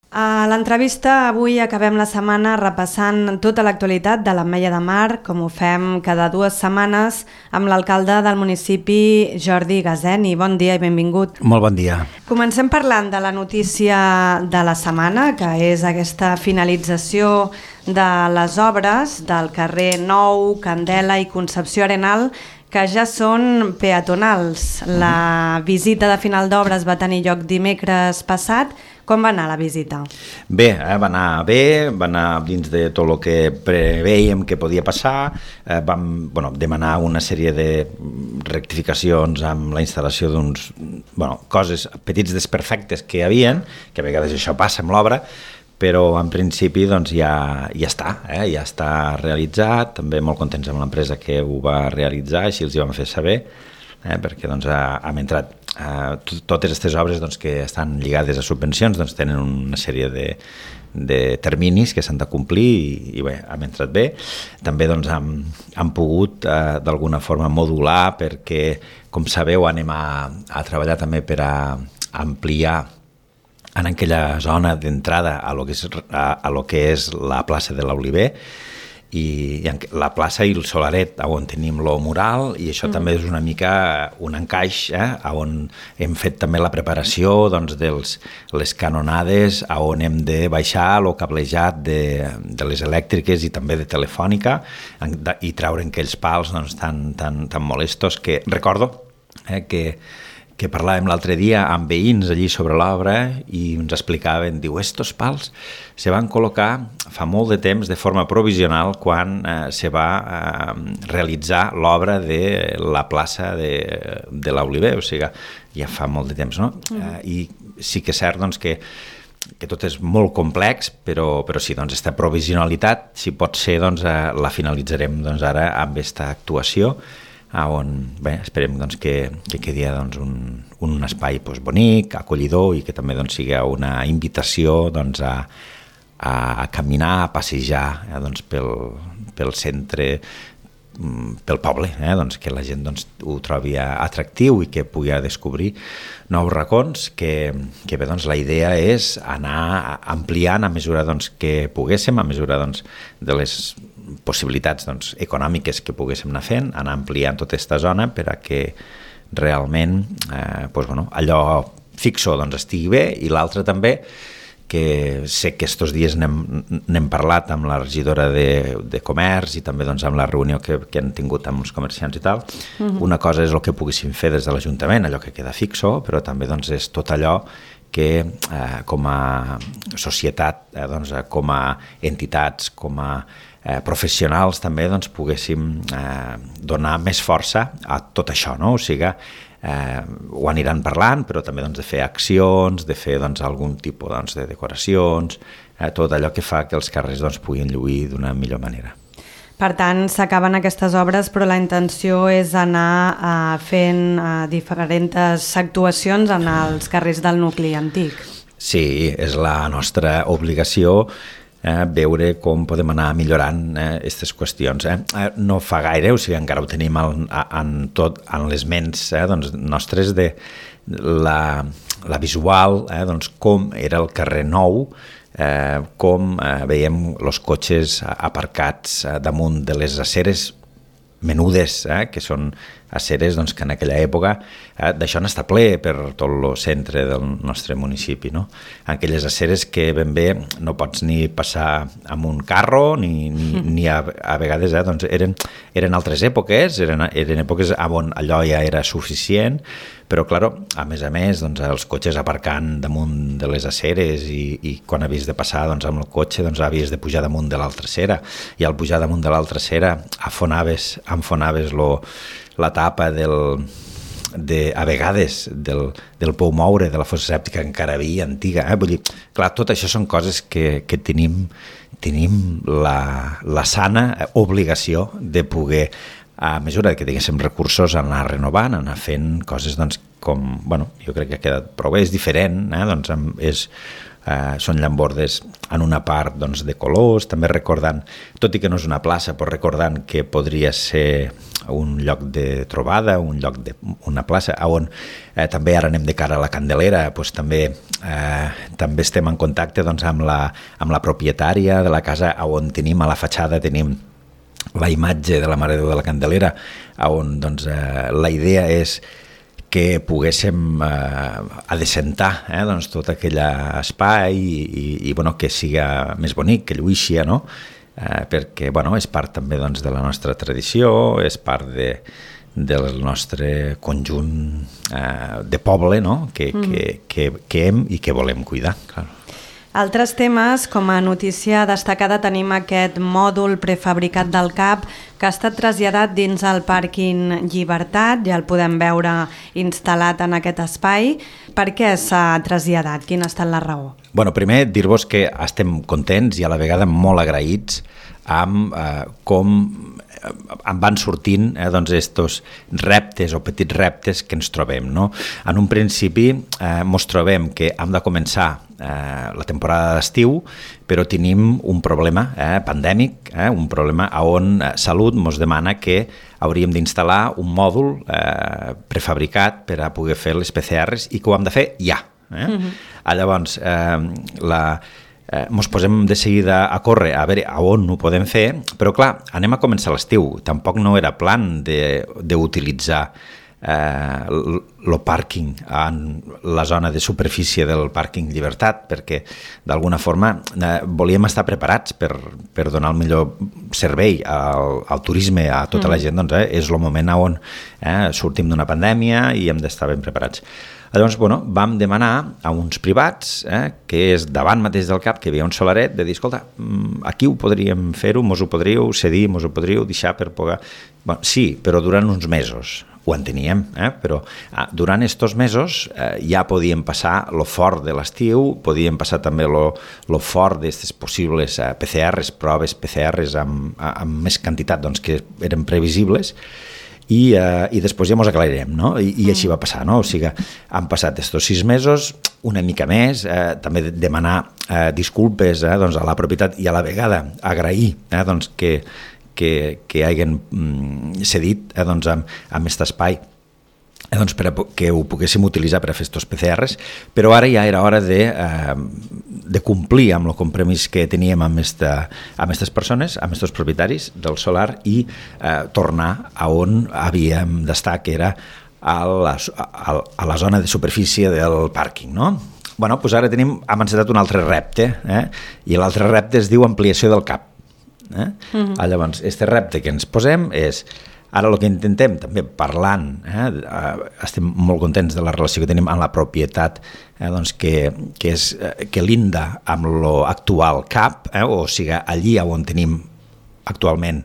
A l'entrevista avui acabem la setmana repassant tota l'actualitat de l'Ametlla de Mar, com ho fem cada 2 setmanes, amb l'alcalde del municipi, Jordi Gazeni. Bon dia i benvingut. Molt bon dia. Comencem parlant de la notícia de la setmana, que és aquesta finalització de les obres del carrer Nou, Candela i Concepció Arenal, que ja són peatonals. La visita de final d'obres va tenir lloc dimecres passat. Com va anar la visita? Bé, va anar dins de tot el que preveiem que podia passar. Vam demanar una sèrie de rectificacions amb la instal·lació d'uns coses, petits desperfectes que hi havien, que a vegades això passa amb l'obra, però en principi doncs, ja està realitzat. També molt contents amb l'empresa que ho va realitzar, així els hi vam fer saber, perquè doncs, hem entrat totes aquestes obres doncs, que estan lligades a subvencions doncs, tenen una sèrie de terminis que s'han de complir i bé, hem entrat bé. També doncs, hem pogut d'alguna forma modular perquè, com sabeu, anem a treballar també per a ampliar en aquella zona d'entrada a lo que és la plaça de l'Oliver, i la plaça i el Solaret on tenim lo mural, i això també és una mica un encaix on hem fet també la preparació doncs, de les canonades, on hem de baixar el cablejat de les elèctriques i també de telefònica i treure aquells pals doncs, tan molestos que recordo que parlàvem l'altre dia amb veïns allí sobre l'obra i ens explicaven, diu, estos pals se van col·locar fa molt de temps de forma provisional quan se va realitzar l'obra de la plaça de l'Oliver, o sigui, ja fa molt de temps, no? I sí que és cert doncs, que tot és molt complex, però sí, doncs, aquesta provisionalitat, si pot ser, doncs, la finalitzarem doncs, ara amb aquesta actuació, on esperem doncs, que quedi doncs, un espai doncs, bonic, acollidor i que també doncs, sigui una invitació doncs, a caminar, a passejar doncs, pel centre, pel poble, doncs, que la gent doncs, ho trobi atractiu i que pugui descobrir nous racons, que bé, doncs, la idea és anar ampliant a mesura doncs, que poguéssim, a mesura doncs, de les possibilitats doncs, econòmiques que poguéssim anar fent, anar ampliant tota aquesta zona per a que realment allò fixo doncs, estigui bé, i l'altre també, que sé que estos dies n'hem parlat amb la regidora de Comerç i també doncs, amb la reunió que han tingut amb els comerciants i tal. Una cosa és el que poguéssim fer des de l'Ajuntament, allò que queda fixo, però també doncs, és tot allò que com a societat, doncs, com a entitats, com a professionals també doncs, poguéssim donar més força a tot això, no? O sigui, ho aniran parlant, però també doncs, de fer accions, de fer doncs, algun tipus doncs, de decoracions, tot allò que fa que els carrers doncs, puguin lluir d'una millor manera. Per tant, s'acaben aquestes obres, però la intenció és anar fent diferents actuacions en els carrers del nucli antic. Sí, és la nostra obligació veure com podem anar millorant aquestes qüestions. No fa gaire, o sigui, encara ho tenim en les ments doncs, nostres de la visual, doncs, com era el carrer Nou, com veiem els cotxes aparcats damunt de les aceres menudes, que són aceres doncs, que en aquella època d'això n'està ple per tot el centre del nostre municipi, no? Aquelles aceres que ben bé no pots ni passar amb un carro ni a vegades doncs, eren altres èpoques, eren èpoques on allò ja era suficient, però clar, a més doncs, els cotxes aparcant damunt de les aceres i quan havies de passar doncs, amb el cotxe doncs, havies de pujar damunt de l'altra acera, i al pujar damunt de l'altra acera enfonaves la tapa a vegades del pou moure, de la fossa sèptica que encara havia antiga. Vull dir, clar, tot això són coses que tenim la sana obligació de poder, a mesura que tinguéssim recursos, anar renovant, anar fent coses doncs, com, jo crec que ha quedat prou bé, és diferent, doncs són llambordes en una part doncs, de colors, també recordant, tot i que no és una plaça, però recordant que podria ser un lloc de trobada, una plaça, on també ara anem de cara a la Candelera, doncs també estem en contacte doncs, amb la propietària de la casa, on tenim a la fatxada tenim la imatge de la Mare de Déu de la Candelera, on doncs, la idea és que poguéssim adecentar doncs, tot aquell espai i bueno, que siga més bonic, que lluïxia, no? Perquè bueno, és part també doncs, de la nostra tradició, és part del nostre conjunt de poble, no? que hem i que volem cuidar. Clar. Altres temes, com a notícia destacada tenim aquest mòdul prefabricat del CAP que ha estat traslladat dins el pàrquing Llibertat, ja el podem veure instal·lat en aquest espai. Per què s'ha traslladat? Quina ha estat la raó? Bueno, primer dir-vos que estem contents i a la vegada molt agraïts amb com em van sortint doncs estos reptes o petits reptes que ens trobem. No? En un principi ens trobem que hem de començar la temporada d'estiu, però tenim un problema pandèmic, un problema on Salut ens demana que hauríem d'instal·lar un mòdul prefabricat per a poder fer les PCRs i que ho hem de fer ja. Llavors, ens posem de seguida a córrer a veure on ho podem fer, però clar, anem a començar l'estiu. Tampoc no era plan d'utilitzar el pàrquing en la zona de superfície del pàrquing Llibertat, perquè d'alguna forma volíem estar preparats per donar el millor servei al turisme, a tota la gent. Doncs, és el moment on sortim d'una pandèmia i hem d'estar ben preparats. Llavors, bueno, vam demanar a uns privats, que és davant mateix del CAP, que hi havia un solaret, de dir, escolta, aquí ho podríem fer-ho, mos ho podríeu cedir, mos ho podríeu deixar per poder... Bueno, sí, però durant uns mesos. Ho enteníem, però durant aquests mesos ja podíem passar lo fort de l'estiu, podíem passar també lo fort d'aquestes possibles PCRs, proves PCRs amb més quantitat doncs, que eren previsibles, i després ja ens aclarirem, no? I així va passar, no? O sigui, han passat estos 6 mesos, una mica més, també demanar disculpes doncs, a la propietat i a la vegada agrair doncs, que hagin cedit doncs, amb aquest espai doncs, per a que ho poguéssim utilitzar per a fer aquests PCRs, però ara ja era hora de complir amb el compromís que teníem amb aquestes persones, amb aquests propietaris del solar i tornar a on havíem d'estar, que era a la zona de superfície del pàrquing, no? Bueno, doncs ara hem encetat un altre repte, i l'altre repte es diu ampliació del CAP. Llavors, aquest repte que ens posem és, ara el que intentem també parlant, estem molt contents de la relació que tenim amb la propietat, doncs que linda amb l'actual CAP, o sigui, allí on tenim actualment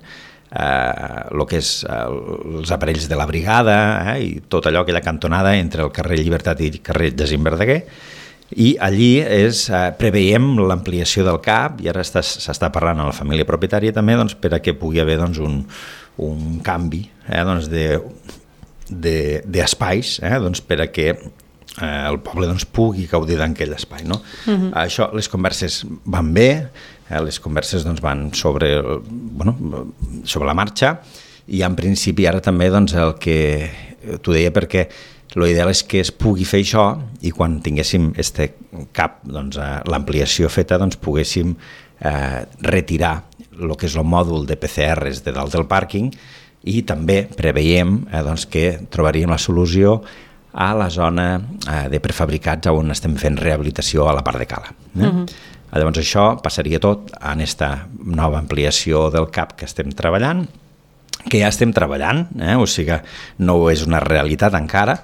el que és els aparells de la brigada i tot allò, aquella cantonada entre el carrer Llibertat i el carrer Jacint Verdaguer. I allí preveiem l'ampliació del CAP i ara s'està parlant a la família propietària també doncs, per a que pugui haver doncs, un canvi doncs, d'espais doncs, per a que el poble doncs, pugui gaudir d'aquell espai. No? Això, les converses van bé, les converses doncs, van sobre la marxa i en principi ara també doncs, el que t'ho deia perquè l'ideal és que es pugui fer això i quan tinguéssim este CAP, doncs, l'ampliació feta, doncs, poguéssim retirar el que és el mòdul de PCRs de dalt del pàrquing i també preveiem doncs, que trobaríem la solució a la zona de prefabricats on estem fent rehabilitació a la part de cala. Llavors això passaria tot en aquesta nova ampliació del CAP que estem treballant, que ja estem treballant, o sigui, no és una realitat encara,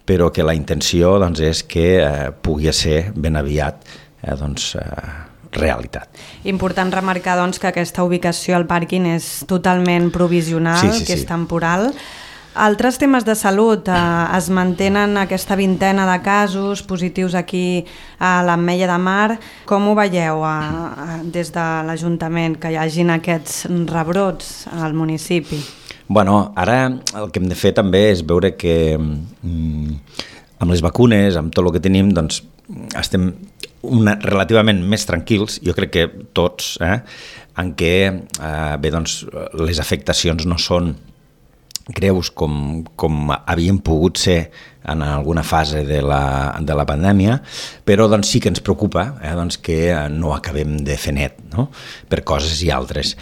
però que la intenció doncs, és que pugui ser ben aviat realitat. Important remarcar doncs, que aquesta ubicació al pàrquing és totalment provisional, sí. És temporal. Altres temes de salut, es mantenen aquesta 20ena de casos positius aquí a l'Ametlla de Mar. Com ho veieu des de l'Ajuntament, que hi hagin aquests rebrots al municipi? Bueno, ara el que hem de fer també és veure que amb les vacunes, amb tot el que tenim, doncs estem relativament més tranquils, jo crec que tots, en què bé, doncs, les afectacions no són greus com havien pogut ser en alguna fase de la pandèmia, però doncs, sí que ens preocupa doncs, que no acabem de fer net, no? Per coses i altres.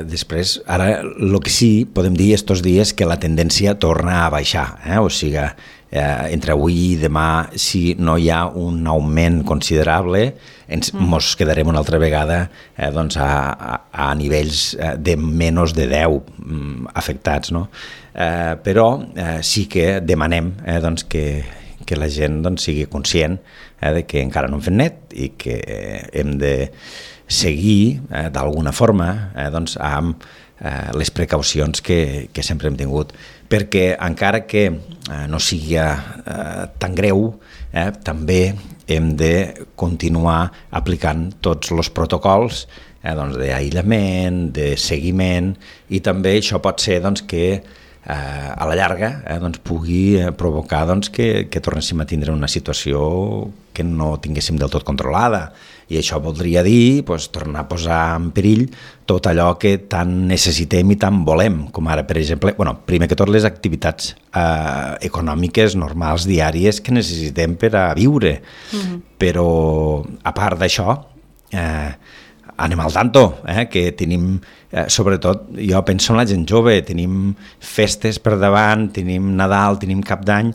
Després, ara, el que sí podem dir estos dies que la tendència torna a baixar, o sigui, entre avui i demà, si no hi ha un augment considerable, ens quedarem una altra vegada doncs a nivells de menys de 10 afectats, no? Però sí que demanem doncs, que la gent doncs, sigui conscient de que encara no hem fet net i que hem de seguir d'alguna forma doncs, amb les precaucions que sempre hem tingut, perquè encara que no sigui tan greu, també hem de continuar aplicant tots els protocols doncs, d'aïllament, de seguiment, i també això pot ser doncs, que a la llarga doncs, pugui provocar doncs, que tornéssim a tindre una situació que no tinguéssim del tot controlada, i això voldria dir doncs, tornar a posar en perill tot allò que tant necessitem i tant volem, com ara, per exemple, primer que tot les activitats econòmiques normals diàries que necessitem per a viure, però a part d'això anem al tanto, que tenim, sobretot, jo penso en la gent jove, tenim festes per davant, tenim Nadal, tenim Cap d'Any,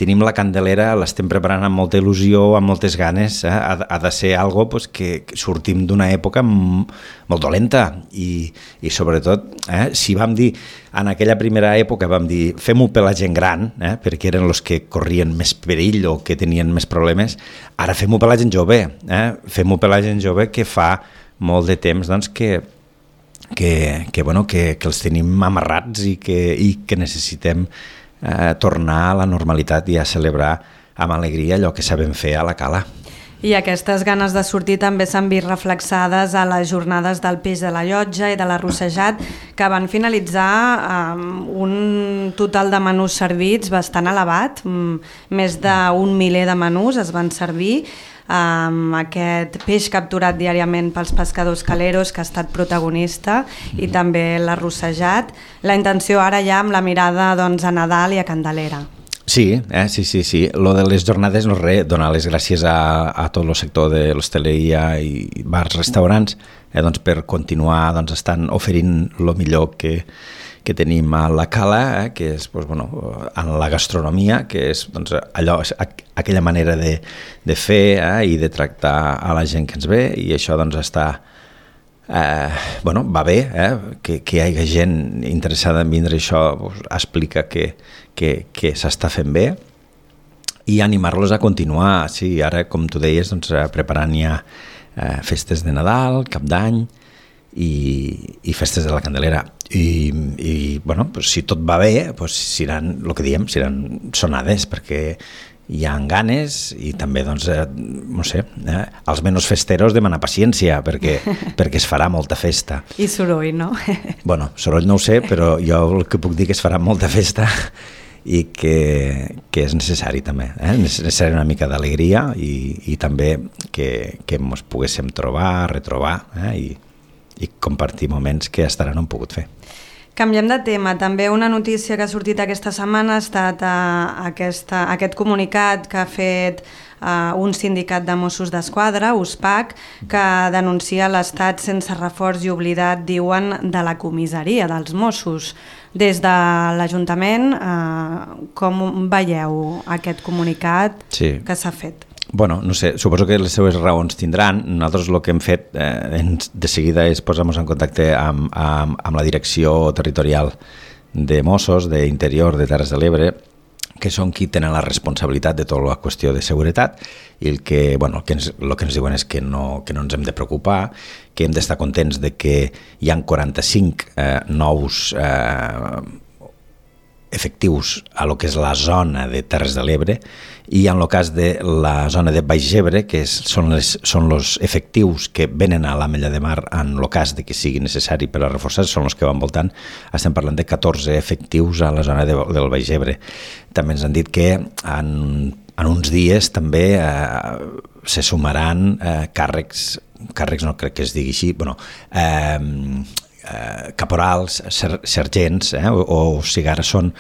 tenim la Candelera, l'estem preparant amb molta il·lusió, amb moltes ganes, ha de ser algo pues, que sortim d'una època molt dolenta, i sobretot, si vam dir, en aquella primera època vam dir, fem-ho per la gent gran, perquè eren els que corrien més perill o que tenien més problemes, ara fem-ho per la gent jove, fem-ho per la gent jove que fa molt de temps doncs, que els tenim amarrats i que necessitem tornar a la normalitat i a celebrar amb alegria allò que sabem fer a la cala. I aquestes ganes de sortir també s'han vist reflexades a les jornades del peix de la Llotja i de l'arrossejat, que van finalitzar amb un total de menús servits bastant elevat, més d'un miler de menús es van servir, amb aquest peix capturat diàriament pels pescadors caleros, que ha estat protagonista, i també l'arrossejat. La intenció ara ja amb la mirada doncs, a Nadal i a Candelera. Sí. Lo de les jornades no és res, donar les gràcies a tot el sector de l'hostaleria i bars, restaurants, doncs per continuar doncs, estant oferint el millor que tenim a la cala, que és doncs, en la gastronomia, que és doncs, allò, aquella manera de fer i de tractar a la gent que ens ve, i això doncs, està va bé, que hi hagi gent interessada en vindre, això explica que s'està fent bé, i animar-los a continuar. Sí, ara, com tu deies, doncs, preparant ja festes de Nadal, Cap d'Any i festes de la Candelera, i si tot va bé, seran, el que diem, seran sonades, perquè hi ha ganes, i també, doncs, no sé, els menys festeros demanar paciència, perquè es farà molta festa. I soroll, no? Soroll no ho sé, però jo el que puc dir que es farà molta festa i que és necessari també, és necessari una mica d'alegria i també que ens poguéssim trobar, retrobar i compartir moments que fins ara no hem pogut fer. Canviem de tema. També una notícia que ha sortit aquesta setmana ha estat aquest comunicat que ha fet un sindicat de Mossos d'Esquadra, USPAC, que denuncia l'estat sense reforç i oblidat, diuen, de la comissaria dels Mossos. Des de l'Ajuntament, com veieu aquest comunicat que s'ha fet? No sé, suposo que les seues raons tindran. Nosaltres el que hem fet de seguida és posar-nos en contacte amb la direcció territorial de Mossos, d'Interior, de Terres de l'Ebre, que són qui tenen la responsabilitat de tota la qüestió de seguretat, i el que ens diuen és que no ens hem de preocupar, que hem d'estar contents de que hi ha 45 nous efectius a lo que és la zona de Terres de l'Ebre, i en el cas de la zona de Baix Ebre, que són els efectius que venen a l'Ametlla de Mar en el cas de que sigui necessari per a reforçar, són els que van voltant. Estem parlant de 14 efectius a la zona del Baix Ebre. També ens han dit que en uns dies també se sumaran càrrecs no crec que es digui així, caporals, sergents, o sigui, ara són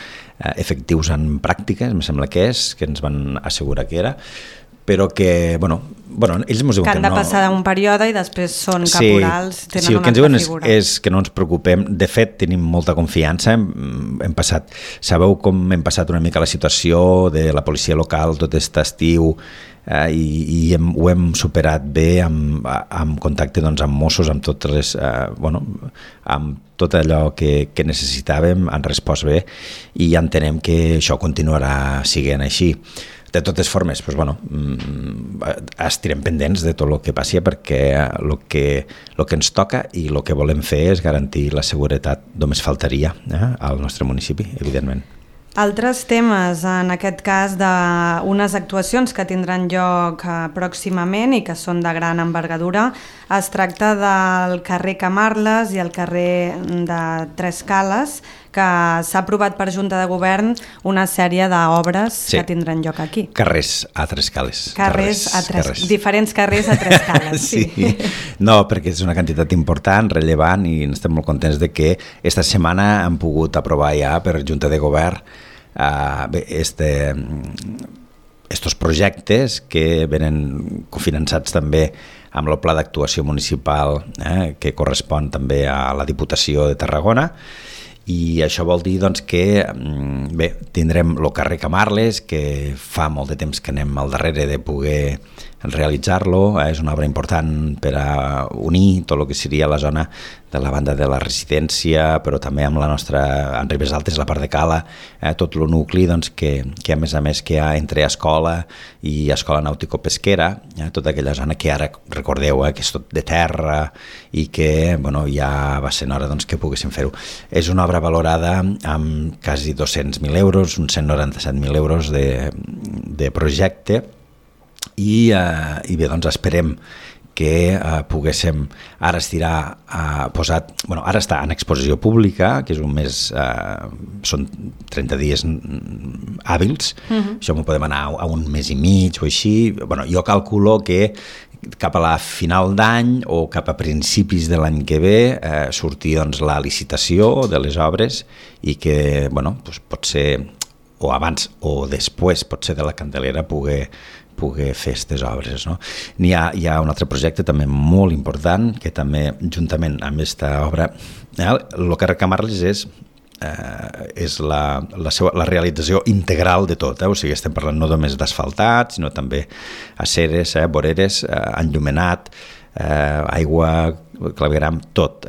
efectius en pràctiques, em sembla que ens van assegurar que era, però que, bueno, ells ens diuen que han de passar un període i després són caporals, tenen una altra figura. Sí, el que ens diuen és que no ens preocupem. De fet, tenim molta confiança. Sabeu com hem passat una mica la situació de la policia local tot aquest estiu, i ho hem superat bé amb contacte amb Mossos, amb totes les, amb tot allò que necessitàvem, han respost bé i entenem que això continuarà sent així. De totes formes, estirem pendents de tot el que passi, perquè el que ens toca i el que volem fer és garantir la seguretat, només faltaria al nostre municipi, evidentment. Altres temes, en aquest cas d'unes actuacions que tindran lloc pròximament i que són de gran envergadura, es tracta del carrer Camarles i el carrer de Tres Cales, que s'ha aprovat per Junta de Govern una sèrie d'obres que tindran lloc aquí. Carrers a Tres Cales. Diferents carrers a Tres Cales, sí. No, perquè és una quantitat important, rellevant, i estem molt contents de que esta setmana han pogut aprovar ja per Junta de Govern estos projectes que venen cofinançats també amb el pla d'actuació municipal que correspon també a la Diputació de Tarragona, i això vol dir que tindrem el carrer Camarles, que fa molt de temps que anem al darrere de poder realitzar-lo. És una obra important per a unir tot el que seria la zona de la banda de la residència, però també amb la nostra, en Ribes Altes, la part de Cala, tot el nucli que a més que hi ha entre escola i escola nàutico-pesquera, tota aquella zona que ara, recordeu, que és tot de terra i que ja va ser hora que poguéssim fer-ho. És una obra valorada amb quasi 200.000 euros, uns 197.000 euros de projecte, i bé, esperem que poguéssim ara ara està en exposició pública, que és un mes, són 30 dies hàbils, això m'ho podem anar a un mes i mig o així. Jo calculo que cap a la final d'any o cap a principis de l'any que ve surti la licitació de les obres, i que pot ser o abans o després, pot ser de la Candelera, poder fer aquestes obres. Hi ha un altre projecte també molt important, que també juntament amb aquesta obra, el carrer Camarles és la realització integral de tot, o sigui, estem parlant no només d'asfaltat, sinó també aceres, voreres, enllumenat, aigua, clavegram, tot,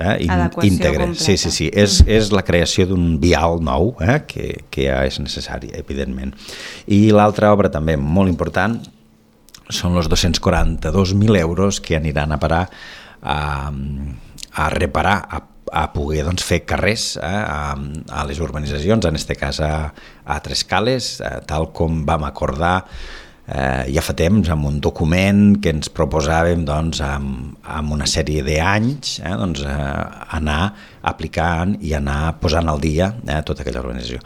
íntegre. Sí. És la creació d'un vial nou, que ja és necessari, evidentment. I l'altra obra també molt important són els 242.000 euros que aniran a parar a reparar, a poder fer carrers a les urbanitzacions, en aquest cas a Tres Cales, tal com vam acordar ja fa temps, amb un document que ens proposàvem amb una sèrie d'anys anar aplicant i anar posant al dia tota aquella organització.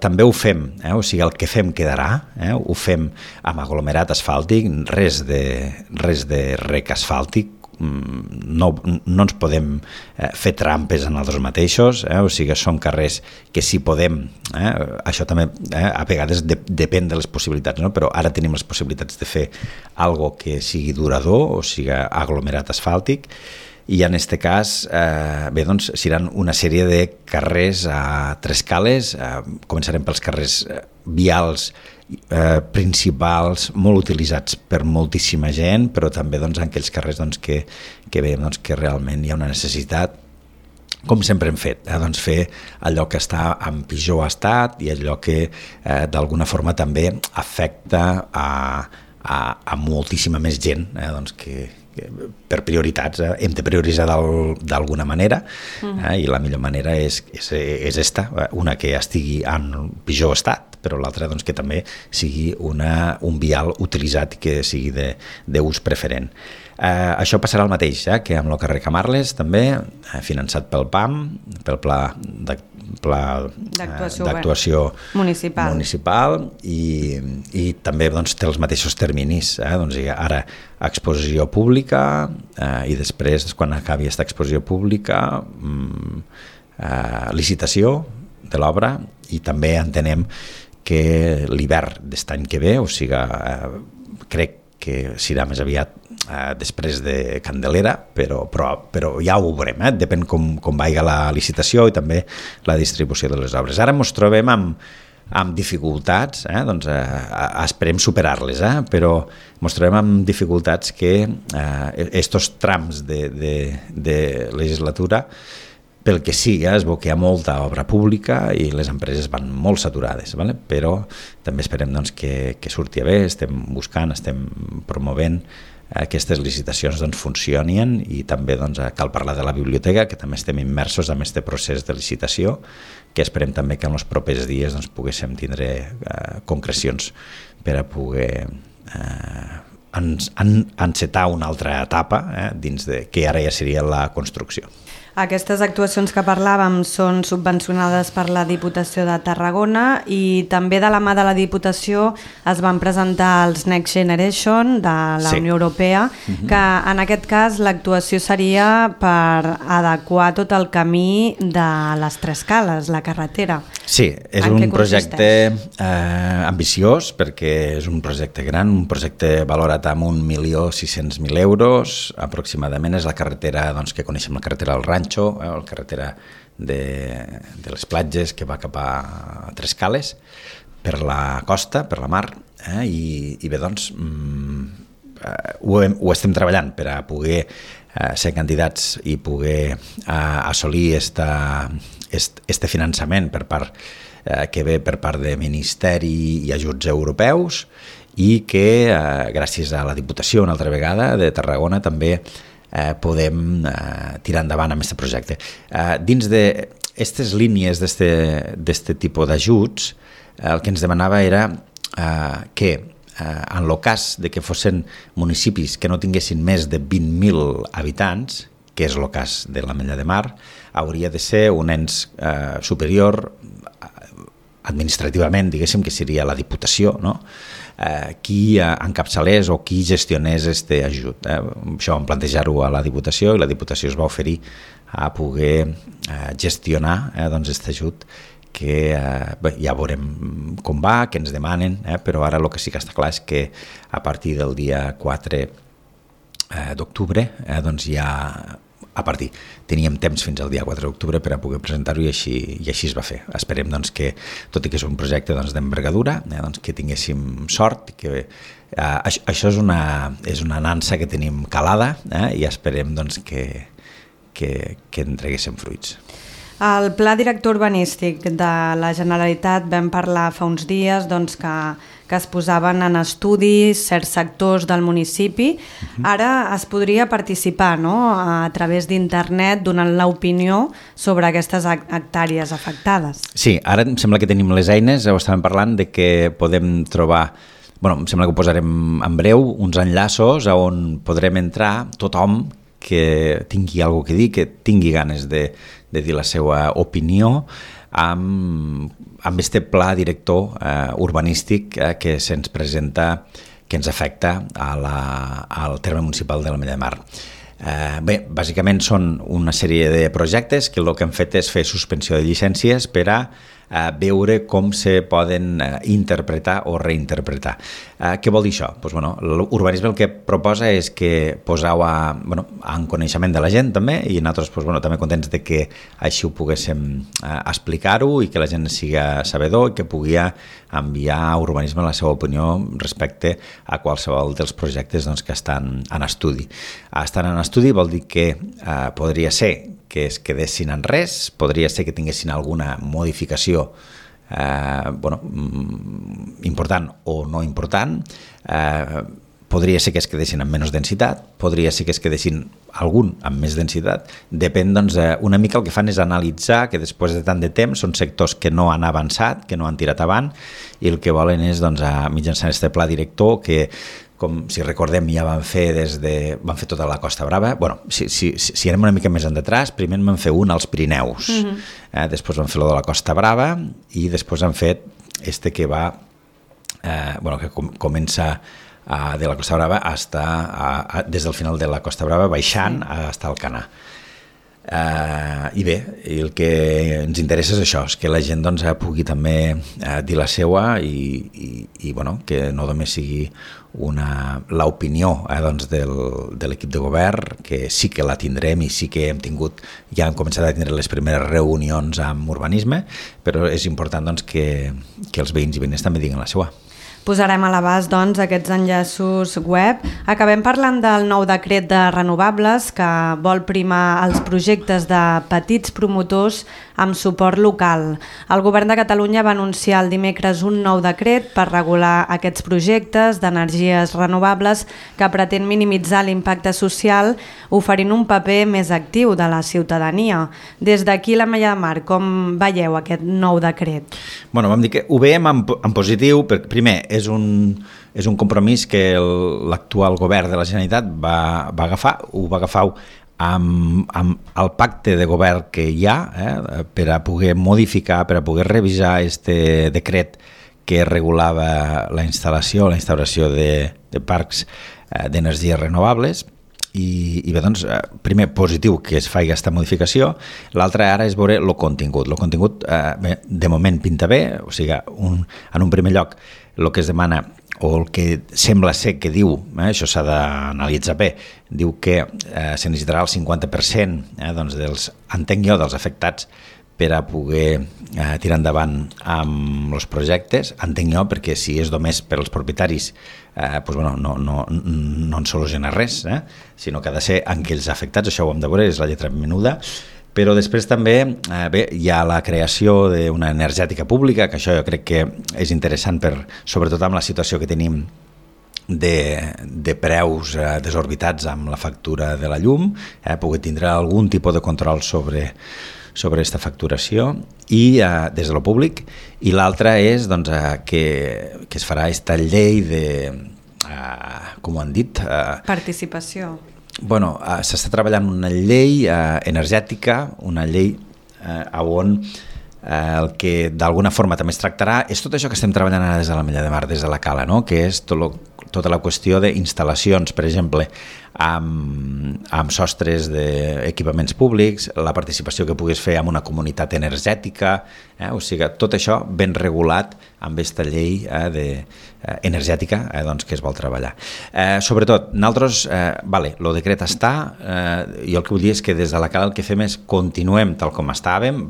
També ho fem, o sigui, el que fem quedarà, ho fem amb aglomerat asfàltic, res de rec asfàltic, no ens podem fer trampes en els mateixos, o sigui, són carrers que si podem, això també a vegades depèn de les possibilitats, però ara tenim les possibilitats de fer algo que sigui durador, o sigui, aglomerat asfàltic, i en aquest cas seran una sèrie de carrers a Tres Cales. Començarem pels carrers vials principals, molt utilitzats per moltíssima gent, però també en aquells carrers que veiem que realment hi ha una necessitat, com sempre hem fet, fer allò que està en pitjor estat i allò que d'alguna forma també afecta a moltíssima més gent, que per prioritats hem de prioritzar d'alguna manera, i la millor manera és esta, una que estigui en pitjor estat, però l'altra doncs, que també sigui un vial utilitzat i que sigui d'ús preferent. Això passarà el mateix que amb el carrer Camarles, també, finançat pel PAM, pel Pla d'actuació municipal i també doncs, té els mateixos terminis. Doncs, ara exposició pública i després, quan acabi aquesta exposició pública, licitació de l'obra i també entenem que l'hivern d'est any que ve, o sigui, crec que serà més aviat després de Candelera, però ja ho veurem, depèn com vagi la licitació i també la distribució de les obres. Ara ens trobem amb dificultats, doncs esperem superar-les, però ens trobem amb dificultats que estos trams de legislatura, pel que sigui, es veu que hi ha molta obra pública i les empreses van molt saturades, però també esperem doncs, que surti bé, estem buscant, estem promovent aquestes licitacions funcionin i també cal parlar de la biblioteca, que també estem immersos en aquest procés de licitació, que esperem també que en els propers dies poguéssim tindre concrecions per a poder encetar una altra etapa dins de que ara ja seria la construcció. Aquestes actuacions que parlàvem són subvencionades per la Diputació de Tarragona i també de la mà de la Diputació es van presentar els Next Generation de la Unió Europea, que en aquest cas l'actuació seria per adequar tot el camí de les Tres Cales, la carretera. Sí, és un projecte ambiciós perquè és un projecte gran, un projecte valorat amb 1.600.000 euros aproximadament. És la carretera que coneixem, la carretera del Rancho, la carretera de les platges que va cap a Tres Cales, per la costa, per la mar, i bé, doncs ho estem treballant per a poder ser candidats i poder assolir este finançament que ve per part de Ministeri i ajuts europeus i que gràcies a la Diputació una altra vegada de Tarragona també podem tirar endavant amb aquest projecte. Dins d'aquestes línies d'aquest tipus d'ajuts, el que ens demanava era que en el cas de que fossin municipis que no tinguessin més de 20.000 habitants, que és el cas de l'Ametlla de Mar, hauria de ser un ens superior administrativament, diguéssim, que seria la Diputació, no? Qui encapçalés o qui gestionés aquest ajut. Això vam plantejar-ho a la Diputació i la Diputació es va oferir a poder gestionar aquest ajut que ja veurem com va, què ens demanen, però ara el que sí que està clar és que a partir del dia 4 d'octubre doncs ja teníem temps fins al dia 4 d'octubre per a poder presentar-ho i així es va fer. Esperem doncs, que, tot i que és un projecte d'envergadura, doncs, que tinguéssim sort, que això és una nansa que tenim calada i esperem doncs, que en treguéssim fruits. Al Pla Director Urbanístic de la Generalitat vam parlar fa uns dies doncs, que es posaven en estudi certs sectors del municipi. Ara es podria participar, no?, a través d'internet donant l'opinió sobre aquestes hectàrees afectades. Sí, ara em sembla que tenim les eines, ho estàvem parlant, de que podem trobar, em sembla que ho posarem en breu, uns enllaços on podrem entrar tothom que tingui alguna cosa que dir, que tingui ganes de dir la seva opinió amb este pla director urbanístic que se'ns presenta, que ens afecta al terme municipal de l'Ametlla de Mar. Bé, bàsicament són una sèrie de projectes que el que han fet és fer suspensió de llicències per a veure com se poden interpretar o reinterpretar. Què vol dir això? L'urbanisme el que proposa és que poseu en coneixement de la gent també, i nosaltres també contents de que així ho poguéssim explicar-ho i que la gent siga sabedor i que pugui enviar a urbanisme la seva opinió respecte a qualsevol dels projectes que estan en estudi. Estan en estudi vol dir que podria ser que es quedessin en res, podria ser que tinguessin alguna modificació important o no important, podria ser que es quedessin amb menys densitat, podria ser que es quedessin algun amb més densitat, depèn, doncs, una mica el que fan és analitzar que després de tant de temps són sectors que no han avançat, que no han tirat avant, i el que volen és, doncs, mitjançant aquest pla director que, com si recordem, ja van fer tota la Costa Brava. Bueno, si anem una mica més endetrás, primer en van fer un als Pirineus, després van fer lo de la Costa Brava i després han fet que va, que comença de la Costa Brava des del final de la Costa Brava baixant fins al Canà. I bé, el que ens interessa és això, és que la gent, doncs, pugui també dir la seua i bueno, que no només sigui l'opinió, doncs, de l'equip de govern, que sí que la tindrem i sí que ja hem començat a tindre les primeres reunions amb urbanisme, però és important, doncs, que els veïns i veïnes també diguin la seua. Posarem a l'abast, doncs, aquests enllaços web. Acabem parlant del nou decret de renovables que vol primar els projectes de petits promotors amb suport local. El Govern de Catalunya va anunciar el dimecres un nou decret per regular aquests projectes d'energies renovables que pretén minimitzar l'impacte social oferint un paper més actiu de la ciutadania. Des d'aquí, l'Ametlla de Mar, com veieu aquest nou decret? Bueno, vam dir que ho veiem en positiu, perquè primer és un compromís que l'actual govern de la Generalitat va agafar amb el pacte de govern que hi ha per a poder modificar, per a poder revisar este decret que regulava la instauració de parcs d'energies renovables. I bé, doncs, primer, positiu que es faci aquesta modificació. L'altre ara és veure el contingut. El contingut, de moment, pinta bé, o sigui, en un primer lloc, el que es demana, o el que sembla ser que diu, això s'ha d'analitzar bé, diu que se necessitarà el 50% doncs, dels afectats per a poder tirar endavant amb els projectes. Entenc jo, perquè si és només per als propietaris, no en soluciona res, sinó que ha de ser en aquells afectats, això ho hem de veure, és la lletra menuda. Però després també hi ha la creació d'una energètica pública, que això jo crec que és interessant, sobretot amb la situació que tenim de preus desorbitats amb la factura de la llum, poder tindre algun tipus de control sobre aquesta facturació i des de lo públic. I l'altra és, doncs, que es farà aquesta llei de, com ho han dit? Participació. Bueno, s'està treballant una llei energètica, una llei on el que d'alguna forma també es tractarà és tot això que estem treballant ara des de l'Ametlla de Mar, des de la Cala, no? Que és tota la qüestió d'instal·lacions, per exemple, amb sostres d'equipaments públics, la participació que puguis fer en una comunitat energètica, o sigui, tot això ben regulat amb aquesta llei energètica doncs, que es vol treballar. Sobretot, nosaltres, el decret està, jo el que vull dir és que des de la Cala el que fem és continuem tal com estàvem.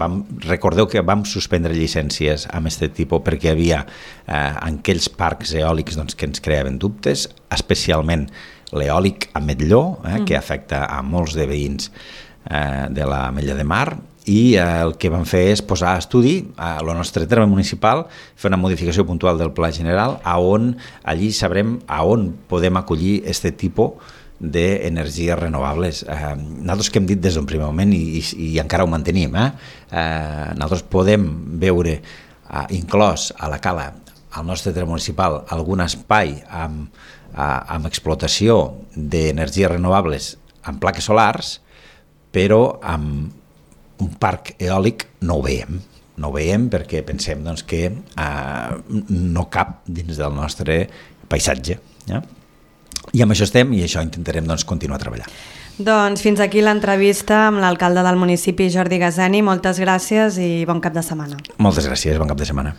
Recordeu que vam suspendre llicències amb aquest tipus perquè hi havia aquells parcs eòlics doncs, que ens creaven dubtes, especialment l'eòlic a Metlló, que afecta a molts de veïns de l'Ametlla de Mar, i el que vam fer és posar a estudi a el nostre terme municipal, fer una modificació puntual del Pla General, on allí sabrem on podem acollir aquest tipus d'energies renovables. Nosaltres que hem dit des d'un primer moment i encara ho mantenim, nosaltres podem veure inclòs a la Cala, al nostre terme municipal, algun espai amb explotació d'energies renovables amb plaques solars, però amb un parc eòlic no ho veiem. No ho veiem perquè pensem doncs, que no cap dins del nostre paisatge. I amb això estem i això intentarem doncs, continuar treballant. Doncs fins aquí l'entrevista amb l'alcalde del municipi, Jordi Gazani. Moltes gràcies i bon cap de setmana. Moltes gràcies, bon cap de setmana.